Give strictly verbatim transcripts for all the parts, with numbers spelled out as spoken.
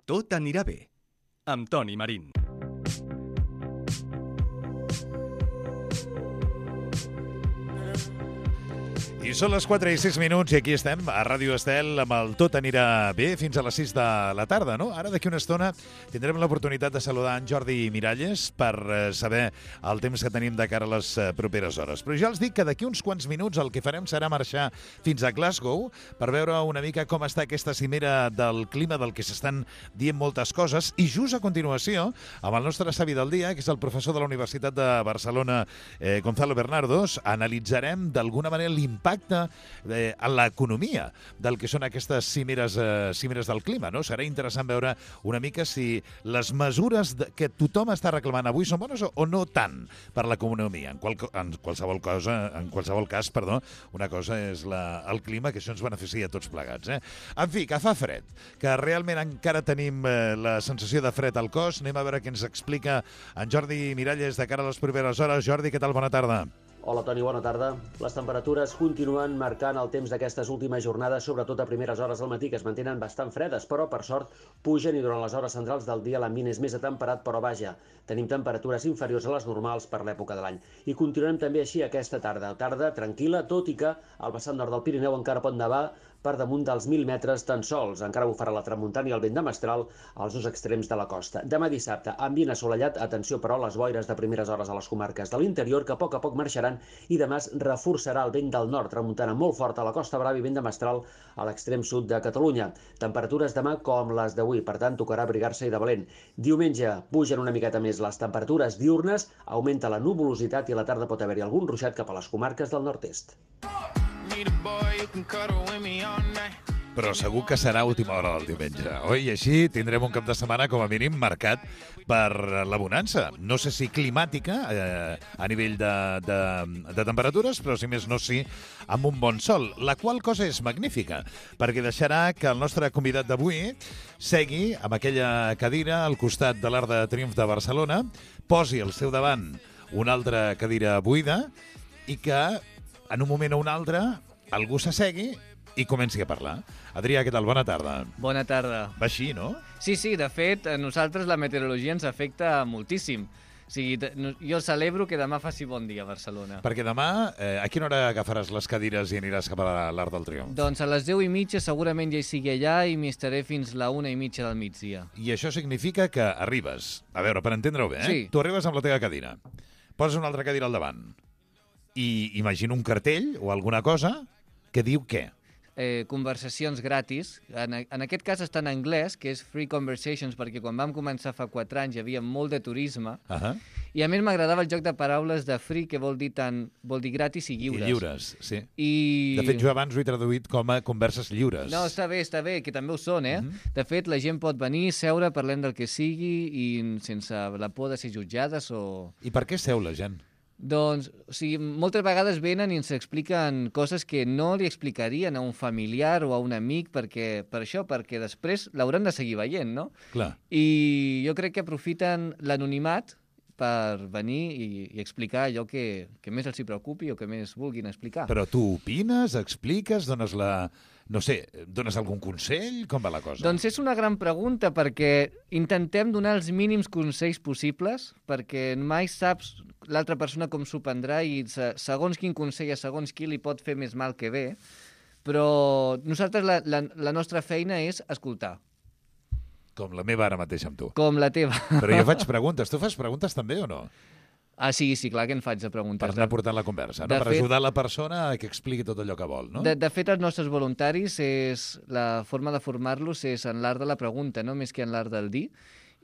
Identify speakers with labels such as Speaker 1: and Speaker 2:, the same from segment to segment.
Speaker 1: Tot anirà bé, amb Toni Marín.
Speaker 2: I són les quatre i sis minuts i aquí estem a Ràdio Estel amb el Tot anirà bé fins a les sis de la tarda, no? Ara d'aquí una estona tindrem l'oportunitat de saludar en Jordi Miralles per saber el temps que tenim de cara a les properes hores. Però ja els dic que d'aquí uns quants minuts el que farem serà marxar fins a Glasgow per veure una mica com està aquesta cimera del clima del que s'estan dient moltes coses i just a continuació amb el nostre savi del dia, que és el professor de la Universitat de Barcelona, eh, Gonzalo Bernardos, analitzarem d'alguna manera l'impacte Eh, en l'economia del que són aquestes cimeres, eh, cimeres del clima, no? Serà interessant veure una mica si les mesures de, que tothom està reclamant avui són bones o, o no tant per l'economia. En, qual, en qualsevol cosa, en qualsevol cas, perdó, una cosa és la, el clima, que això ens beneficia a tots plegats. Eh? En fi, que fa fred, que realment encara tenim eh, la sensació de fred al cos. Anem a veure què ens explica en Jordi Miralles de cara a les properes hores. Jordi, què tal? Bona tarda.
Speaker 3: Hola, Toni, bona tarda. Les temperatures continuen marcant el temps d'aquestes últimes jornades, sobretot a primeres hores del matí, que es mantenen bastant fredes, però, per sort, pugen i durant les hores centrals del dia l'ambient és més atemperat, però vaja, tenim temperatures inferiors a les normals per l'època de l'any. I continuem també així aquesta tarda. Tarda tranquil·la, tot i que al vessant nord del Pirineu encara pot nevar per damunt dels mil metres tan sols. Encara bufarà la tramuntana i el vent de mestral als dos extrems de la costa. Demà dissabte, ambient assolellat, atenció però a les boires de primeres hores a les comarques de l'interior, que a poc a poc marxaran, i demà es reforçarà el vent del nord, tramuntana molt forta a la Costa Brava i vent de mestral a l'extrem sud de Catalunya. Temperatures demà com les d'avui, per tant tocarà abrigar-se i de valent. Diumenge pugen una miqueta més les temperatures diurnes, augmenta la nuvolositat i a la tarda pot haver-hi algun ruixat cap a les comarques del nord-est.
Speaker 2: Però segur que serà última hora del diumenge, oi? I així tindrem un cap de setmana com a mínim marcat per la bonança. No sé si climàtica eh, a nivell de, de, de temperatures, però si més no sí amb un bon sol, la qual cosa és magnífica, perquè deixarà que el nostre convidat d'avui segui amb aquella cadira al costat de l'Arc de Triomf de Barcelona, posi al seu davant una altra cadira buida i que en un moment o un altre algú s'assegui i comenci a parlar. Adrià, què tal? Bona tarda.
Speaker 4: Bona tarda.
Speaker 2: Va així, no?
Speaker 4: Sí, sí, de fet, a nosaltres la meteorologia ens afecta moltíssim. O sigui, jo celebro que demà faci bon dia a Barcelona.
Speaker 2: Perquè demà, eh, a quina hora agafaràs les cadires i aniràs cap a l'Arc del Triomf?
Speaker 4: Doncs a les deu i mitja segurament ja hi sigui allà i m'hi estaré fins la una i mitja del migdia.
Speaker 2: I això significa que arribes, a veure, per entendre-ho bé, eh?
Speaker 4: Sí.
Speaker 2: Tu arribes amb la teva cadira, poses una altra cadira al davant i imagina un cartell o alguna cosa que diu què?
Speaker 4: Eh, conversacions gratis. En, en aquest cas està en anglès, que és Free Conversations, perquè quan vam començar fa quatre anys hi havia molt de turisme. Uh-huh. I a més m'agradava el joc de paraules de free, que vol dir tant, vol dir gratis i lliures.
Speaker 2: I lliures, sí.
Speaker 4: I...
Speaker 2: De fet, jo abans ho he traduït com a converses lliures.
Speaker 4: No, està bé, està bé, que també ho són, eh?
Speaker 2: Uh-huh.
Speaker 4: De fet, la gent pot venir, seure, parlem del que sigui i sense la por de ser jutjades o...
Speaker 2: I per què seu la gent?
Speaker 4: Doncs, o sigui, moltes vegades venen i ens expliquen coses que no li explicarien a un familiar o a un amic perquè, per això, perquè després l'hauran de seguir veient, no?
Speaker 2: Clar.
Speaker 4: I jo crec que aprofiten l'anonimat per venir i, i explicar allò que, que més els hi preocupi o que més vulguin explicar.
Speaker 2: Però tu opines, expliques, dones la... No sé, dones algun consell? Com va la cosa?
Speaker 4: Doncs és una gran pregunta perquè intentem donar els mínims consells possibles perquè mai saps l'altra persona com s'ho prendrà i segons quin consell a segons qui li pot fer més mal que bé, però nosaltres la, la, la nostra feina és escoltar.
Speaker 2: Com la meva ara mateix amb tu.
Speaker 4: Com la teva.
Speaker 2: Però jo faig preguntes. Tu fas preguntes també o no?
Speaker 4: Ah, sí, sí, clar que en faig de preguntes.
Speaker 2: Per anar portant la conversa, no? Per fet, ajudar la persona a que expliqui tot allò que vol, no?
Speaker 4: De, de fet, els nostres voluntaris, és la forma de formar-los és en l'art de la pregunta, no més que en l'art del dir,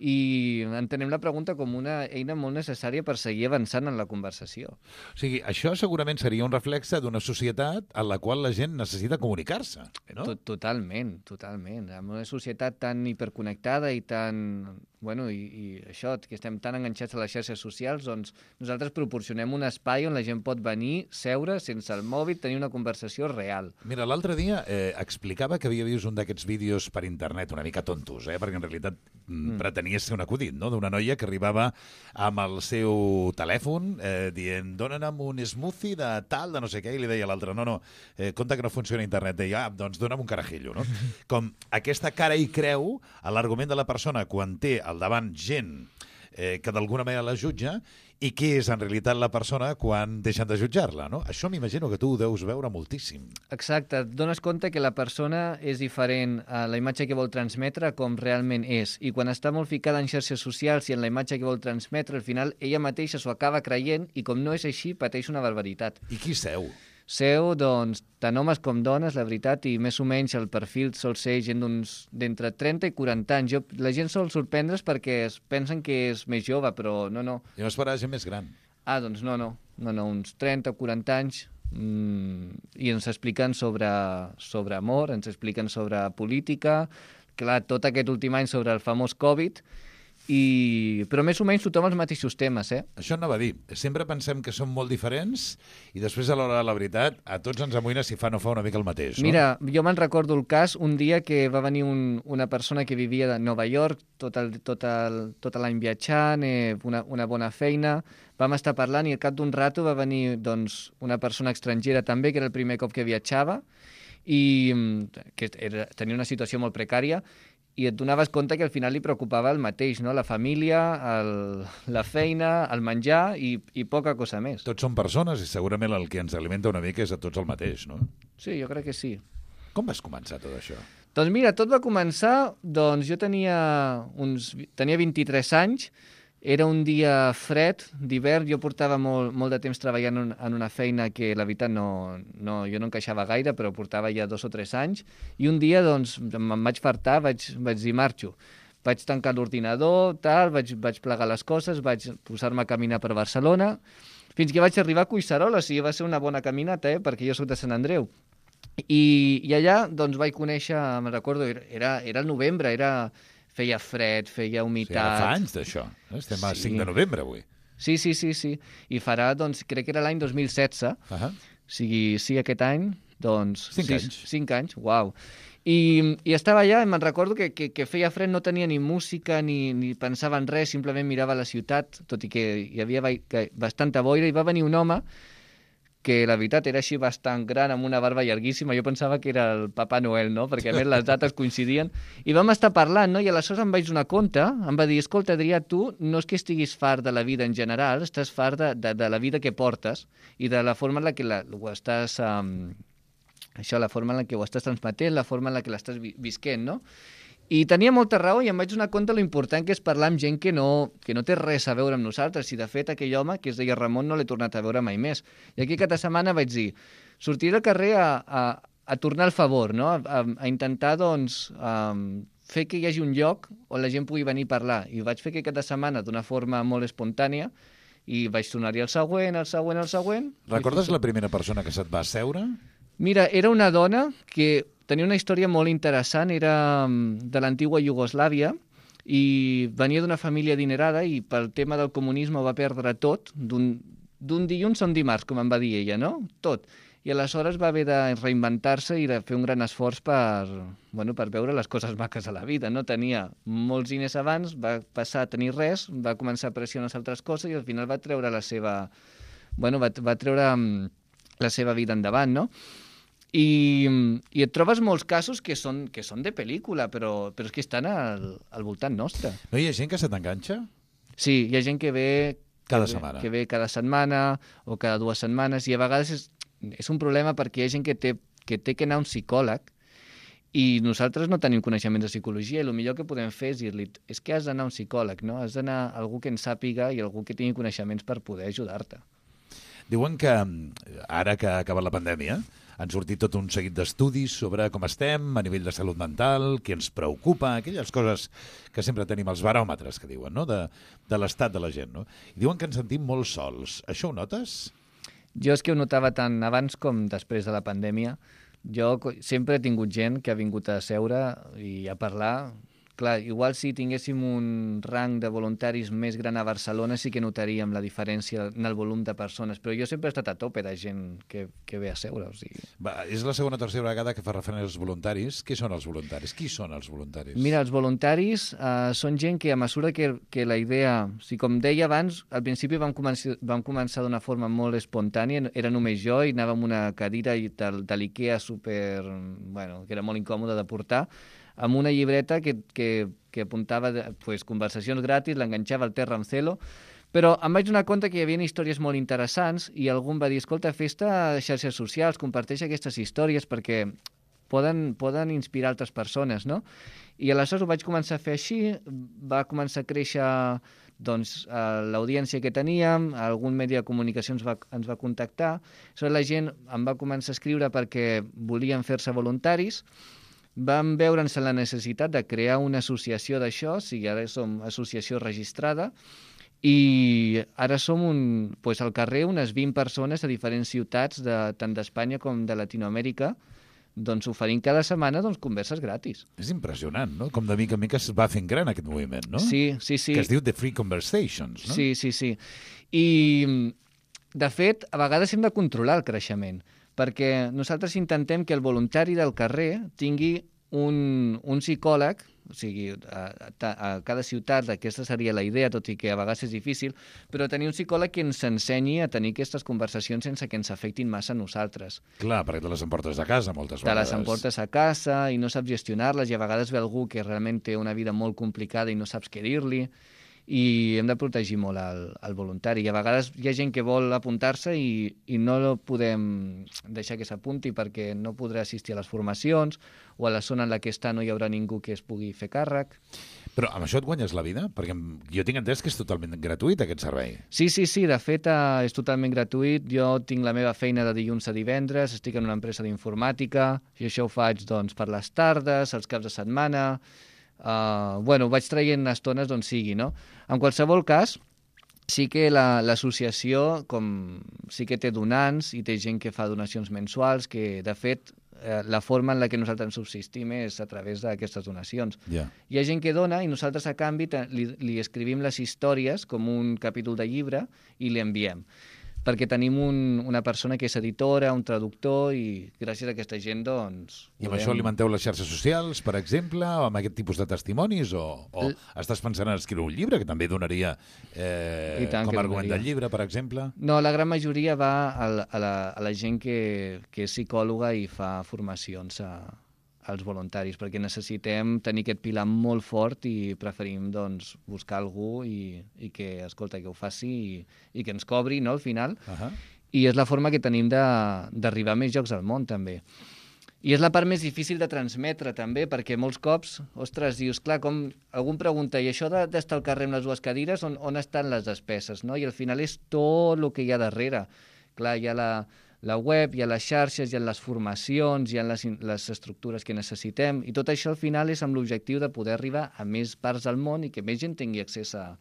Speaker 4: i entenem la pregunta com una eina molt necessària per seguir avançant en la conversació.
Speaker 2: O sigui, això segurament seria un reflexe d'una societat en la qual la gent necessita comunicar-se, no?
Speaker 4: Totalment, totalment. En una societat tan hiperconnectada i tan bueno, i, i això, que estem tan enganxats a les xarxes socials, doncs nosaltres proporcionem un espai on la gent pot venir, seure, sense el mòbil, tenir una conversació real.
Speaker 2: Mira, l'altre dia eh, explicava que havia vist un d'aquests vídeos per internet, una mica tontos, eh, perquè en realitat mm. pretenia ser un acudit, no?, d'una noia que arribava amb el seu telèfon eh, dient, dona'm un smoothie de tal, de no sé què, i li deia a l'altre, no, no, eh, compte que no funciona internet. Deia, ah, doncs dona'm un carajillo, no? Com aquesta cara i creu a l'argument de la persona quan té al davant gent eh, que d'alguna manera la jutja i què és en realitat la persona quan deixen de jutjar-la, no? Això m'imagino que tu ho deus veure moltíssim.
Speaker 4: Exacte, et dones compte que la persona és diferent a la imatge que vol transmetre com realment és, i quan està molt ficada en xarxes socials i en la imatge que vol transmetre, al final ella mateixa s'ho acaba creient i com no és així pateix una barbaritat.
Speaker 2: I qui seu?
Speaker 4: Seu, doncs, tant homes com dones, la veritat, i més o menys el perfil sol ser gent d'uns d'entre trenta i quaranta anys. Jo, la gent sol sorprendre's perquè es pensen que és més jove, però no, no.
Speaker 2: Jo esperava gent més gran.
Speaker 4: Ah, doncs no, no, no, no uns trenta o quaranta anys, mmm, i ens expliquen sobre, sobre amor, ens expliquen sobre política, clar, tot aquest últim any sobre el famós Covid, i... però més o menys tothom els mateixos temes, eh?
Speaker 2: Això anava a dir. Sempre pensem que som molt diferents i després, a l'hora de la veritat, a tots ens amoïna si fa o no fa una mica el mateix, no?
Speaker 4: Mira, jo me'n recordo el cas un dia que va venir un, una persona que vivia de Nova York tot el, tot el, tot l'any viatjant, eh, una, una bona feina, vam estar parlant i al cap d'un rato va venir doncs, una persona estrangera també, que era el primer cop que viatjava, i que era, tenia una situació molt precària, i et donaves compte que al final li preocupava el mateix, no? La família, el, la feina, el menjar i, i poca cosa més.
Speaker 2: Tots són persones i segurament el que ens alimenta una mica és a tots el mateix, no?
Speaker 4: Sí, jo crec que sí.
Speaker 2: Com vas començar tot això?
Speaker 4: Doncs mira, tot va començar, doncs jo tenia, uns, tenia vint-i-tres anys, era un dia fred, d'hivern, jo portava molt, molt de temps treballant en, en una feina que la veritat no, no, jo no encaixava gaire, però portava ja dos o tres anys, i un dia doncs me'n vaig fartar, vaig, vaig dir marxo. Vaig tancar l'ordinador, tal, vaig, vaig plegar les coses, vaig posar-me a caminar per Barcelona, fins que vaig arribar a Collserola, o sigui, va ser una bona caminata, eh, perquè jo soc de Sant Andreu. I, i allà doncs vaig conèixer, me'n recordo, era, era el novembre, era... feia fred, feia humitat...
Speaker 2: Sí, fa anys d'això. Estem a sí. cinc de novembre, avui.
Speaker 4: Sí, sí, sí, sí. I farà, doncs, crec que era l'any dos mil setze. Uh -huh. O sigui, sí, aquest any, doncs...
Speaker 2: Cinc
Speaker 4: sí,
Speaker 2: anys.
Speaker 4: Cinc anys, uau. I, i estava allà i me'n recordo que, que, que feia fred, no tenia ni música ni, ni pensava en res, simplement mirava la ciutat, tot i que hi havia bastanta boira, i va venir un home que la veritat era així bastant gran, amb una barba llarguíssima. Jo pensava que era el Papa Noel, no? Perquè a més les dates coincidien. I vam estar parlant, no? I aleshores em vaig donar compte, em va dir, escolta, Adrià, tu no és que estiguis fart de la vida en general, estàs fart de, de, de la vida que portes i de la forma en la que la, ho estàs... Um, això, la forma en la que ho estàs transmetent, la forma en la que l'estàs vi visquent, no? I tenia molta raó i em vaig donar compte lo important que és parlar amb gent que no, que no té res a veure amb nosaltres. I, de fet, aquell home, que es deia Ramon, no l'he tornat a veure mai més. I aquí cada setmana vaig dir, sortiré al carrer a, a, a tornar el favor, no? a, a intentar, doncs, um, fer que hi hagi un lloc on la gent pugui venir a parlar. I ho vaig fer que cada setmana d'una forma molt espontània i vaig tornar-hi el següent, el següent, el següent.
Speaker 2: Recordes la primera persona que se't va asseure?
Speaker 4: Mira, era una dona que tenia una història molt interessant, era de l'antigua Iugoslàvia i venia d'una família adinerada i pel tema del comunisme ho va perdre tot, d'un dilluns a un dimarts, com em va dir ella, no? Tot. I aleshores va haver de reinventar-se i de fer un gran esforç per, bueno, per veure les coses maques a la vida. No tenia molts diners abans, va passar a tenir res, va començar a apreciar unes altres coses i al final va treure la seva, bueno, va, va treure la seva vida endavant, no? I, i et trobes molts casos que són, que són de pel·lícula, però, però és que estan al, al voltant nostre.
Speaker 2: No hi ha gent que se t'enganxa?
Speaker 4: Sí, hi ha gent que ve...
Speaker 2: Cada
Speaker 4: que
Speaker 2: setmana.
Speaker 4: Ve, que ve cada setmana o cada dues setmanes, i a vegades és, és un problema perquè hi ha gent que té, que té que anar a un psicòleg i nosaltres no tenim coneixements de psicologia i el millor que podem fer és dir-li és que has d'anar a un psicòleg, no? Has d'anar a algú que en sàpiga i algú que tingui coneixements per poder ajudar-te.
Speaker 2: Diuen que ara que ha acabat la pandèmia han sortit tot un seguit d'estudis sobre com estem a nivell de salut mental, què ens preocupa, aquelles coses que sempre tenim, els baròmetres que diuen, no? de, de l'estat de la gent. No? I diuen que ens sentim molt sols. Això ho notes?
Speaker 4: Jo és que ho notava tant abans com després de la pandèmia. Jo sempre he tingut gent que ha vingut a seure i a parlar Clar, igual si tinguéssim un rang de voluntaris més gran a Barcelona sí que notaríem la diferència en el volum de persones, però jo sempre he estat a tope de gent que, que ve a seure. O sigui.
Speaker 2: Va, és la segona o tercera vegada que fa referència als voluntaris. Què són els voluntaris? Qui són els voluntaris?
Speaker 4: Mira, els voluntaris uh, són gent que a mesura que, que la idea... O sigui, com deia abans, al principi vam començar, vam començar d'una forma molt espontània, era només jo i anava amb una cadira de, de l'Ikea super... Bueno, que era molt incòmode de portar, amb una llibreta que, que, que apuntava pues, conversacions gratis, l'enganxava al Terra amb Celo, però em vaig donar compte que hi havia històries molt interessants i algú em va dir, escolta, fes-te a xarxes socials, comparteix aquestes històries perquè poden, poden inspirar altres persones, no? I aleshores ho vaig començar a fer així, va començar a créixer doncs, l'audiència que teníem, algun medi de comunicació ens va, ens va contactar, aleshores la gent em va començar a escriure perquè volien fer-se voluntaris, vam veure'ns la necessitat de crear una associació d'això, o sigui, ara som associació registrada, i ara som un, doncs, al carrer unes vint persones a diferents ciutats, de, tant d'Espanya com de Latinoamèrica, doncs oferint cada setmana doncs, converses gratis.
Speaker 2: És impressionant, no? Com de mica en mica es va fent gran aquest moviment, no?
Speaker 4: Sí, sí, sí.
Speaker 2: Que es diu The Free Conversations, no?
Speaker 4: Sí, sí, sí. I, de fet, a vegades hem de controlar el creixement, perquè nosaltres intentem que el voluntari del carrer tingui un, un psicòleg, o sigui, a, a, a cada ciutat aquesta seria la idea, tot i que a vegades és difícil, però tenir un psicòleg que ens ensenyi a tenir aquestes conversacions sense que ens afectin massa a nosaltres.
Speaker 2: Clar, perquè te les emportes a casa moltes vegades.
Speaker 4: Te les emportes a casa i no saps gestionar-les i a vegades ve algú que realment té una vida molt complicada i no saps què dir-li, i hem de protegir molt el, el voluntari. I a vegades hi ha gent que vol apuntar-se i, i no podem deixar que s'apunti perquè no podrà assistir a les formacions o a la zona en la que està no hi haurà ningú que es pugui fer càrrec.
Speaker 2: Però amb això et guanyes la vida? Perquè jo tinc entès que és totalment gratuït aquest servei.
Speaker 4: Sí, sí, sí, de fet eh, és totalment gratuït. Jo tinc la meva feina de dilluns a divendres, estic en una empresa d'informàtica i això ho faig doncs, per les tardes, els caps de setmana. Uh, bueno, vaig traient estones d'on sigui, no? En qualsevol cas, sí que l'associació la, com sí que té donants i té gent que fa donacions mensuals, que de fet eh, la forma en la que nosaltres subsistim és a través d'aquestes donacions.
Speaker 2: Yeah.
Speaker 4: Hi ha gent que dona i nosaltres a canvi li, li escrivim les històries com un capítol de llibre i li enviem. Perquè tenim un, una persona que és editora, un traductor, i gràcies a aquesta gent, doncs...
Speaker 2: I amb podem... això alimenteu les xarxes socials, per exemple, o amb aquest tipus de testimonis, o, o L... estàs pensant en escriure un llibre, que també donaria eh, com a argument del llibre, per exemple?
Speaker 4: No, la gran majoria va a la, a la, a la gent que, que és psicòloga i fa formacions a, als voluntaris, perquè necessitem tenir aquest pilar molt fort i preferim doncs, buscar algú i, i que, escolta, que ho faci i, i que ens cobri, no?, al final. Uh-huh. I és la forma que tenim d'arribar a més llocs al món, també. I és la part més difícil de transmetre, també, perquè molts cops, ostres, dius, clar, com algú em pregunta, i això d'estar al carrer amb les dues cadires, on, on estan les despeses, no? I al final és tot el que hi ha darrere. Clar, hi ha la... la web, hi ha les xarxes, hi ha les formacions, hi ha les, les estructures que necessitem, i tot això al final és amb l'objectiu de poder arribar a més parts del món i que més gent tingui accés a,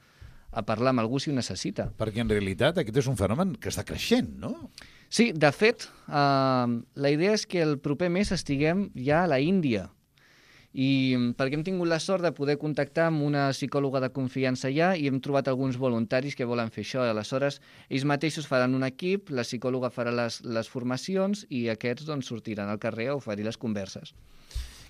Speaker 4: a parlar amb algú si ho necessita.
Speaker 2: Perquè en realitat aquest és un fenomen que està creixent, no?
Speaker 4: Sí, de fet, eh, la idea és que el proper mes estiguem ja a la Índia, i perquè hem tingut la sort de poder contactar amb una psicòloga de confiança allà i hem trobat alguns voluntaris que volen fer això. Aleshores, ells mateixos faran un equip, la psicòloga farà les, les formacions i aquests doncs, sortiran al carrer a oferir les converses.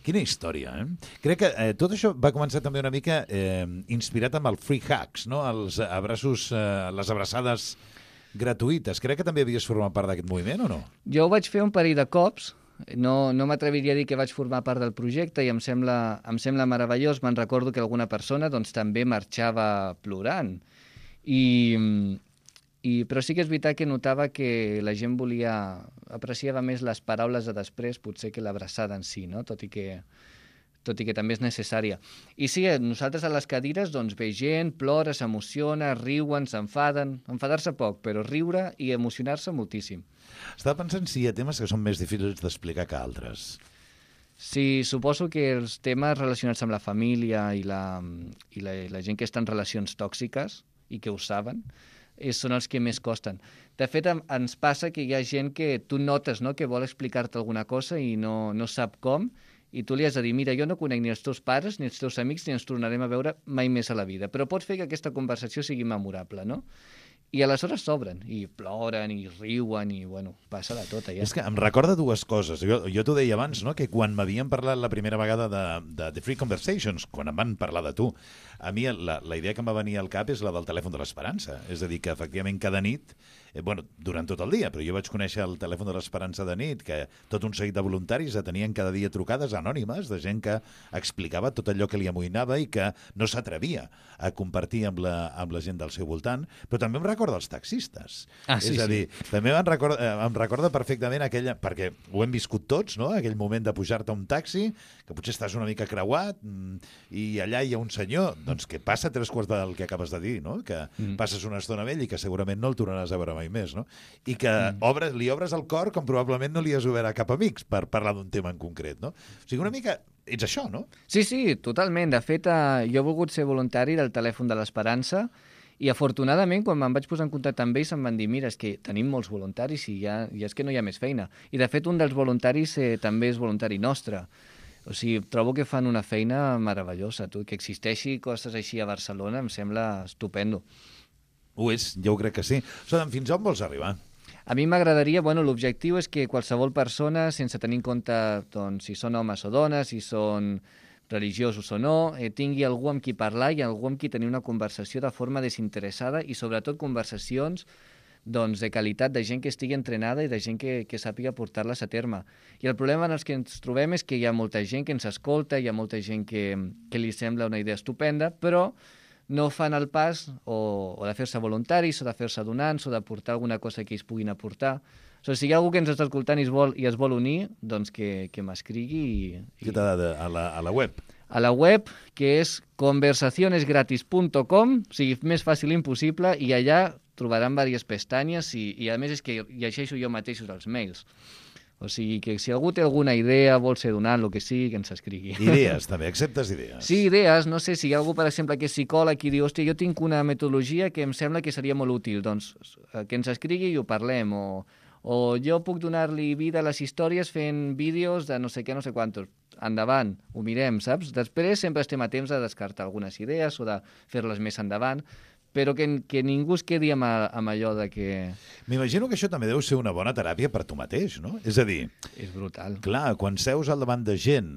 Speaker 2: Quina història, eh? Crec que eh, tot això va començar també una mica eh, inspirat amb el Free Hugs, no? Els abraços, eh, les abraçades gratuïtes. Crec que també havies format part d'aquest moviment, o no?
Speaker 4: Jo ho vaig fer un parell de cops. No, no m'atreviria a dir que vaig formar part del projecte i em sembla, em sembla meravellós. Me'n recordo que alguna persona doncs, també marxava plorant. I, i, però sí que és veritat que notava que la gent volia, apreciava més les paraules de després potser que l'abraçada en si, no? tot i que tot i que també és necessària. I sí, nosaltres a les cadires doncs, ve gent, plora, s'emociona, riuen, s'enfaden, enfadar-se poc, però riure i emocionar-se moltíssim.
Speaker 2: Estava pensant si hi ha temes que són més difícils d'explicar que altres.
Speaker 4: Sí, suposo que els temes relacionats amb la família i la, i la, i la gent que està en relacions tòxiques i que ho saben, és, són els que més costen. De fet, ens passa que hi ha gent que tu notes, no?, que vol explicar-te alguna cosa i no, no sap com, i tu li has de dir, mira, jo no conec ni els teus pares, ni els teus amics, ni ens tornarem a veure mai més a la vida, però pots fer que aquesta conversació sigui memorable, no? I aleshores s'obren, i ploren, i riuen, i, bueno, passa de tot, allà.
Speaker 2: És que em recorda dues coses. Jo, jo t'ho deia abans, no?, que quan m'havien parlat la primera vegada de, de The Free Conversations, quan em van parlar de tu, a mi la, la idea que em va venir al cap és la del telèfon de l'Esperança. És a dir, que efectivament cada nit, eh, bueno, durant tot el dia, però jo vaig conèixer el telèfon de l'Esperança de nit, que tot un seguit de voluntaris tenien cada dia trucades anònimes de gent que explicava tot allò que li amoïnava i que no s'atrevia a compartir amb la, amb la gent del seu voltant, però també em recorda els taxistes.
Speaker 4: Ah, sí,
Speaker 2: és a dir,
Speaker 4: sí.
Speaker 2: també em recorda, em recorda perfectament aquella, perquè ho hem viscut tots, no?, aquell moment de pujar-te a un taxi, que potser estàs una mica creuat, i allà hi ha un senyor, doncs que passa tres quarts del que acabes de dir, no?, que mm. passes una estona amb ell i que segurament no el tornaràs a veure mai més, no?, i que mm. obres, li obres el cor com probablement no li has obert a cap amics per parlar d'un tema en concret, no? O sigui, una mica ets això, no?
Speaker 4: Sí, sí, totalment. De fet, eh, jo he volgut ser voluntari del telèfon de l'Esperança i, afortunadament, quan me'n vaig posar en contacte amb ells, em van dir, mira, és que tenim molts voluntaris i ja, ja és que no hi ha més feina. I, de fet, un dels voluntaris eh, també és voluntari nostre. O sigui, trobo que fan una feina meravellosa. Tu, que existeixi coses així a Barcelona em sembla estupendo.
Speaker 2: Ho és, jo crec que sí. Sòdem, fins on vols arribar?
Speaker 4: A mi m'agradaria, bueno, l'objectiu és que qualsevol persona, sense tenir en compte doncs, si són homes o dones, si són religiosos o no, eh, tingui algú amb qui parlar i algú amb qui tenir una conversació de forma desinteressada i sobretot conversacions doncs, de qualitat, de gent que estigui entrenada i de gent que, que sàpiga portar-les a terme. I el problema en els que ens trobem és que hi ha molta gent que ens escolta, hi ha molta gent que, que li sembla una idea estupenda, però no fan el pas o, o de fer-se voluntaris o de fer-se donants o de portar alguna cosa que ells puguin aportar. O sigui, si hi ha algú que ens està escoltant i es vol, i es vol unir, doncs que, que m'escrigui. I, i...
Speaker 2: Què t'ha de, a, la, a la web?
Speaker 4: A la web, que és conversaciones gratis punt com, o sigui, més fàcil impossible, i allà trobaran diverses pestanyes i, i a més és que llegeixo jo mateixos els mails. O sigui, que si algú té alguna idea, vol ser donant, el que sigui, que ens escrigui.
Speaker 2: Idees, també. Acceptes idees?
Speaker 4: Sí, idees. No sé, si hi ha algú, per exemple, que és psicòleg i diu, hòstia, jo tinc una metodologia que em sembla que seria molt útil, doncs que ens escrigui i ho parlem. O, o jo puc donar-li vida a les històries fent vídeos de no sé què, no sé quantos. Endavant, ho mirem, saps? Després sempre estem a temps de descartar algunes idees o de fer-les més endavant, però que, que ningú es quedi amb, a, amb allò de que...
Speaker 2: M'imagino que això també deu ser una bona teràpia per tu mateix, no? És a dir...
Speaker 4: És brutal.
Speaker 2: Clar, quan seus al davant de gent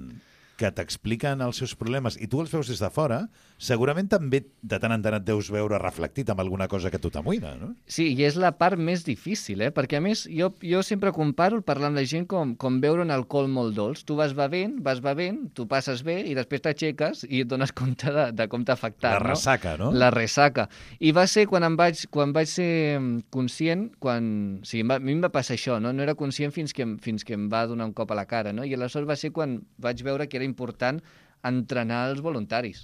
Speaker 2: que t'expliquen els seus problemes i tu els veus des de fora, segurament també de tant en tant et deus veure reflectit amb alguna cosa que tu t'amoïna, no?
Speaker 4: Sí, i és la part més difícil, eh? Perquè, a més, jo, jo sempre comparo el parlar amb la gent com, com beure un alcohol molt dolç. Tu vas bevent, vas bevent, tu passes bé i després t'aixeques i et dones compte de, de com t'ha afectat,
Speaker 2: La
Speaker 4: no?
Speaker 2: ressaca, no?
Speaker 4: La ressaca. I va ser quan em vaig, quan vaig ser conscient, quan... O sigui, a mi em va passar això, no? No era conscient fins que, fins que em va donar un cop a la cara, no? I aleshores va ser quan vaig veure que era important entrenar els voluntaris.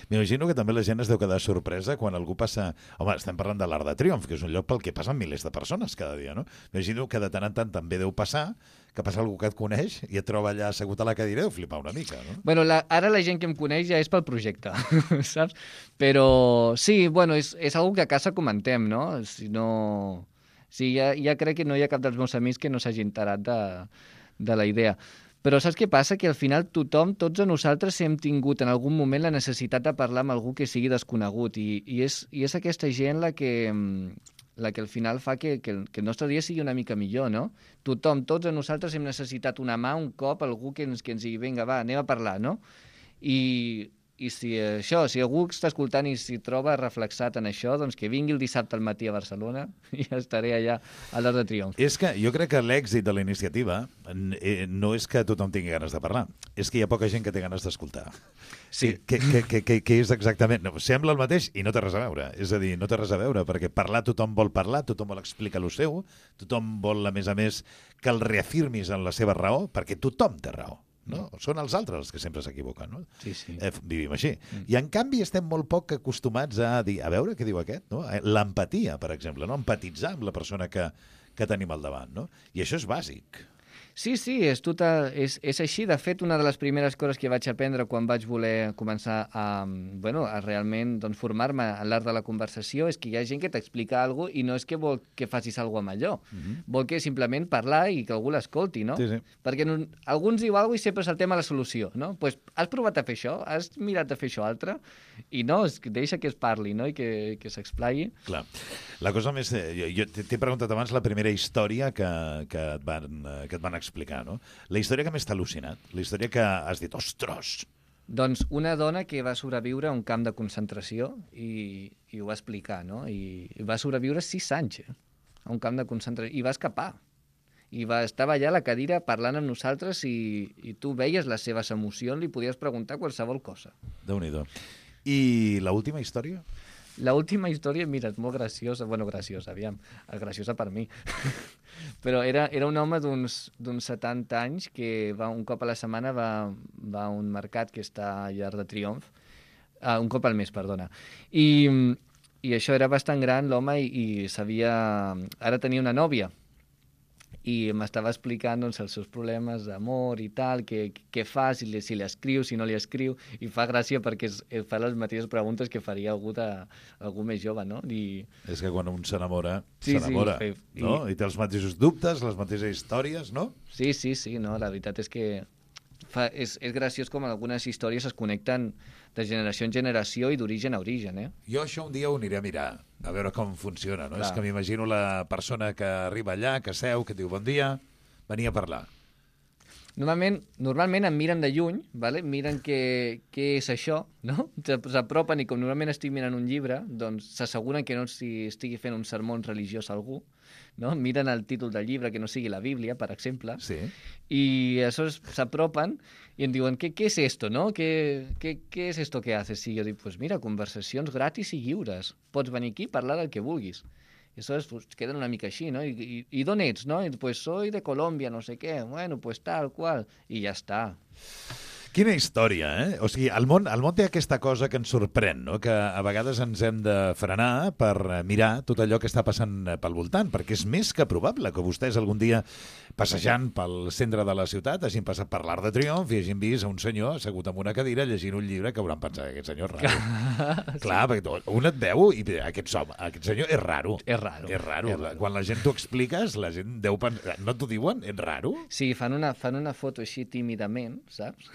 Speaker 2: M'imagino que també la gent es deu quedar sorpresa quan algú passa... Home, estem parlant de l'Arc de Triomf, que és un lloc pel que passen milers de persones cada dia, no? M'imagino que de tant en tant també deu passar que passa algú que et coneix i et troba allà assegut a la cadira i deu flipar una mica, no?
Speaker 4: Bueno, la, ara la gent que em coneix ja és pel projecte, saps? Però sí, bueno, és, és algo que a casa comentem, no? Si no... Sí, ja, ja crec que no hi ha cap dels meus amics que no s'hagi enterat de, de la idea. Però saps què passa? Que al final tothom, tots a nosaltres hem tingut en algun moment la necessitat de parlar amb algú que sigui desconegut i, i, és, i és aquesta gent la que, la que al final fa que, que, el, que el nostre dia sigui una mica millor, no? Tothom, tots a nosaltres hem necessitat una mà, un cop, algú que ens, que ens digui, vinga, va, anem a parlar, no? I... I si això, si algú està escoltant i s'hi troba reflexat en això, doncs que vingui el dissabte al matí a Barcelona i estaré allà a l'Arc de Triomf.
Speaker 2: És que jo crec que l'èxit de la iniciativa no és que tothom tingui ganes de parlar, és que hi ha poca gent que té ganes d'escoltar.
Speaker 4: Sí.
Speaker 2: Que, que, que, que, que és exactament... No, sembla el mateix i no té res a veure. És a dir, no té res a veure, perquè parlar tothom vol parlar, tothom vol explicar el seu, tothom vol, a més a més, que el reafirmis en la seva raó, perquè tothom té raó. No? Són els altres els que sempre s'equivoquen, no?
Speaker 4: Sí, sí.
Speaker 2: Eh, vivim així. Mm. I en canvi estem molt poc acostumats a dir, a veure què diu aquest, no? L'empatia, per exemple, no? Empatitzar amb la persona que, que tenim al davant, no? I això és bàsic.
Speaker 4: Sí, sí, és, total, és, és així. De fet, una de les primeres coses que vaig aprendre quan vaig voler començar a, bueno, a realment doncs, formar-me en l'art de la conversació és que hi ha gent que t'explica alguna cosa i no és que vol que facis alguna cosa amb allò. Uh-huh. Vol que simplement parlar i que algú l'escolti, no?
Speaker 2: Sí, sí.
Speaker 4: Perquè no, alguns diu alguna cosa i sempre és el tema de la solució, no? Pues, has provat a fer això? Has mirat a fer això altre? I no, es, deixa que es parli, no? I que, que s'explaiï.
Speaker 2: Clar. La cosa més... Jo, jo t'he preguntat abans la primera història que, que, et van, que et van explicar, no? La història que més t'ha al·lucinat, la història que has dit, ostres!
Speaker 4: Doncs una dona que va sobreviure a un camp de concentració i, i ho va explicar, no? I, i va sobreviure sis anys eh? a un camp de concentració i va escapar. I va estar allà a la cadira parlant amb nosaltres i, i tu veies les seves emocions, li podies preguntar qualsevol cosa.
Speaker 2: Déu-n'hi-do. I l'última història?
Speaker 4: L'última història, mira, és molt graciosa. Bueno, graciosa, aviam. Graciosa per mi. Però era, era un home d'uns setanta anys que va, un cop a la setmana va, va a un mercat que està a Arc de Triomf. Uh, un cop al mes, perdona. I, i això era bastant gran, l'home, i, i sabia... Ara tenia una nòvia. I m'estava explicant doncs, els seus problemes d'amor i tal, què, què fa, si li, si li escriu, si no li escriu, i fa gràcia perquè es, es fa les mateixes preguntes que faria algú, de, algú més jove, no? I...
Speaker 2: És que quan un s'enamora,
Speaker 4: sí,
Speaker 2: s'enamora,
Speaker 4: sí,
Speaker 2: i... no? I té els mateixos dubtes, les mateixes històries, no?
Speaker 4: Sí, sí, sí, no? La veritat és que fa, és, és graciós com algunes històries es connecten de generació en generació i d'origen a origen, eh?
Speaker 2: Jo això un dia ho aniré a mirar, a veure com funciona, no?
Speaker 4: Clar.
Speaker 2: És que m'imagino la persona que arriba allà, que seu, que diu bon dia, venia a parlar.
Speaker 4: Normalment, normalment em miren de lluny, vale? Miren què, què és això, no? S'apropen i com normalment estic mirant un llibre, doncs s'asseguren que no si estigui fent un sermó religiós a algú, no? Miren el títol del llibre, que no sigui la Bíblia, per exemple,
Speaker 2: Sí.
Speaker 4: i aleshores s'apropen i em diuen, ¿qué, qué es esto, no? ¿Qué, qué, ¿Qué es esto que haces? I jo dic, pues mira, conversacions gratis i lliures. Pots venir aquí i parlar del que vulguis. I aleshores pues, queden una mica així, no? I, i, i d'on ets, no? I, pues soy de Colòmbia, no sé què. Bueno, pues tal qual. I ja està.
Speaker 2: Quina història, eh? O sigui, el món, el món té aquesta cosa que ens sorprèn, no? Que a vegades ens hem de frenar per mirar tot allò que està passant pel voltant, perquè és més que probable que vostès algun dia, passejant pel centre de la ciutat, hagin passat per l'Arc de Triomf i hagin vist un senyor assegut en una cadira llegint un llibre que hauran pensat, aquest senyor és raro. Sí. Clar, perquè un et veu i aquest, som, aquest senyor és raro.
Speaker 4: És raro.
Speaker 2: És raro.
Speaker 4: És raro.
Speaker 2: Quan la gent t'ho expliques, la gent deu pensar... No t'ho diuen? És raro?
Speaker 4: Sí, fan una, fan una foto així tímidament, saps?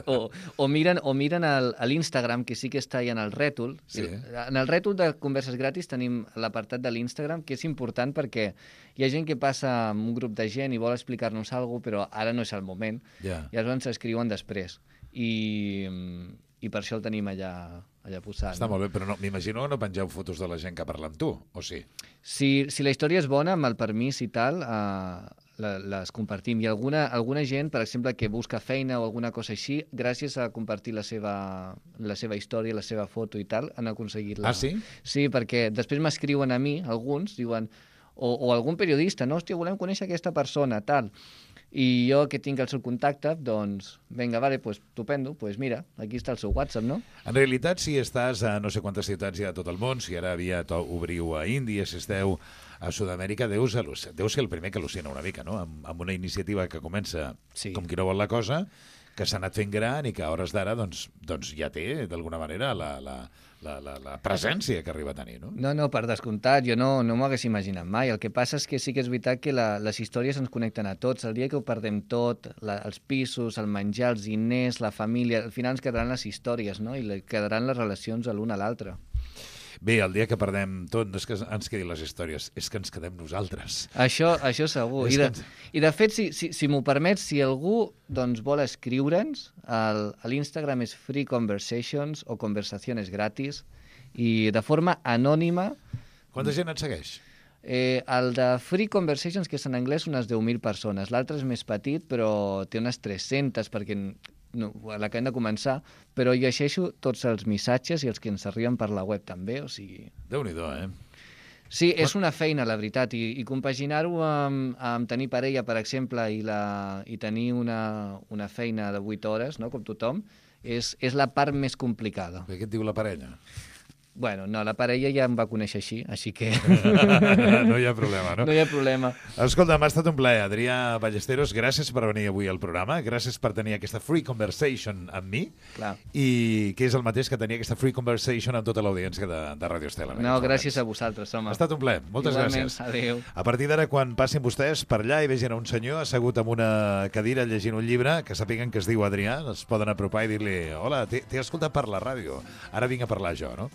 Speaker 4: O, o miren, o miren el, a l'Instagram, que sí que està allà en el rètol.
Speaker 2: Sí.
Speaker 4: En el rètol de converses gratis tenim l'apartat de l'Instagram, que és important perquè hi ha gent que passa amb un grup de gent i vol explicar-nos alguna cosa, però ara no és el moment.
Speaker 2: Yeah.
Speaker 4: I llavors s'escriuen després. I, I per això el tenim allà, allà posat.
Speaker 2: Està
Speaker 4: no?
Speaker 2: molt bé, però no, m'imagino que no pengeu fotos de la gent que parla amb tu, o sí?
Speaker 4: Si, si la història és bona, amb el permís i tal, eh, la, les compartim. I alguna, alguna gent, per exemple, que busca feina o alguna cosa així, gràcies a compartir la seva, la seva història, la seva foto i tal, han aconseguit la...
Speaker 2: Ah, sí?
Speaker 4: Sí, perquè després m'escriuen a mi, alguns, diuen... O, o algun periodista, no? Hòstia, volem conèixer aquesta persona, tal. I jo que tinc el seu contacte, doncs, vinga, vale, pues, estupendo, pues mira, aquí està el seu WhatsApp, no?
Speaker 2: En realitat, si estàs a no sé quantes ciutats hi ha a tot el món, si ara aviat obriu a Índia, si esteu a Sud-amèrica, deus, deus ser el primer que al·lucina una mica, no? Amb, amb una iniciativa que comença
Speaker 4: Sí.
Speaker 2: com qui no vol la cosa, que s'ha anat fent gran i que a hores d'ara doncs, doncs ja té, d'alguna manera, la, la, la, la, la presència que arriba a tenir, no?
Speaker 4: No, no, per descomptat, jo no, no m'ho hagués imaginat mai. El que passa és que sí que és veritat que la, les històries ens connecten a tots. El dia que ho perdem tot, la, els pisos, el menjar, els diners, la família, al final ens quedaran les històries, no? I quedaran les relacions a l'un a l'altre.
Speaker 2: Bé, el dia que perdem tot, no és que ens quedin les històries, és que ens quedem nosaltres.
Speaker 4: Això, això segur. I de, I de fet, si, si, si m'ho permets, si algú doncs, vol escriure'ns, el, a l'Instagram és Free Conversations o Conversaciones Gratis, i de forma anònima...
Speaker 2: Quanta gent et segueix?
Speaker 4: Eh, el de Free Conversations, que és en anglès, unes deu mil persones. L'altre és més petit, però té unes tres-centes, perquè no, l'acabem de començar, però llegeixo tots els missatges i els que ens arriben per la web també, o sigui...
Speaker 2: Déu-n'hi-do, eh?
Speaker 4: Sí, és una feina, la veritat, i, i compaginar-ho amb, amb tenir parella, per exemple, i, la, i tenir una, una feina de vuit hores, no?, com tothom, és, és la part més complicada.
Speaker 2: Què et diu la parella?
Speaker 4: Bueno, no, la parella ja em va conèixer així, així que...
Speaker 2: No hi ha problema, no?
Speaker 4: No hi ha problema.
Speaker 2: Escolta, m'ha estat un plaer. Adrià Ballesteros, gràcies per venir avui al programa, gràcies per tenir aquesta free conversation amb mi,
Speaker 4: Clar.
Speaker 2: i que és el mateix que tenir aquesta free conversation amb tota l'audiència de, de Radio Estel.
Speaker 4: No, gràcies a vosaltres, home.
Speaker 2: Ha estat un plaer. Moltes
Speaker 4: Igualment,
Speaker 2: gràcies.
Speaker 4: adéu.
Speaker 2: A partir d'ara, quan passin vostès per allà i vegin un senyor assegut en una cadira llegint un llibre, que sàpiguen que es diu Adrià, es poden apropar i dir-li: hola, t'he escoltat per la ràdio, ara vinc a parlar jo, no?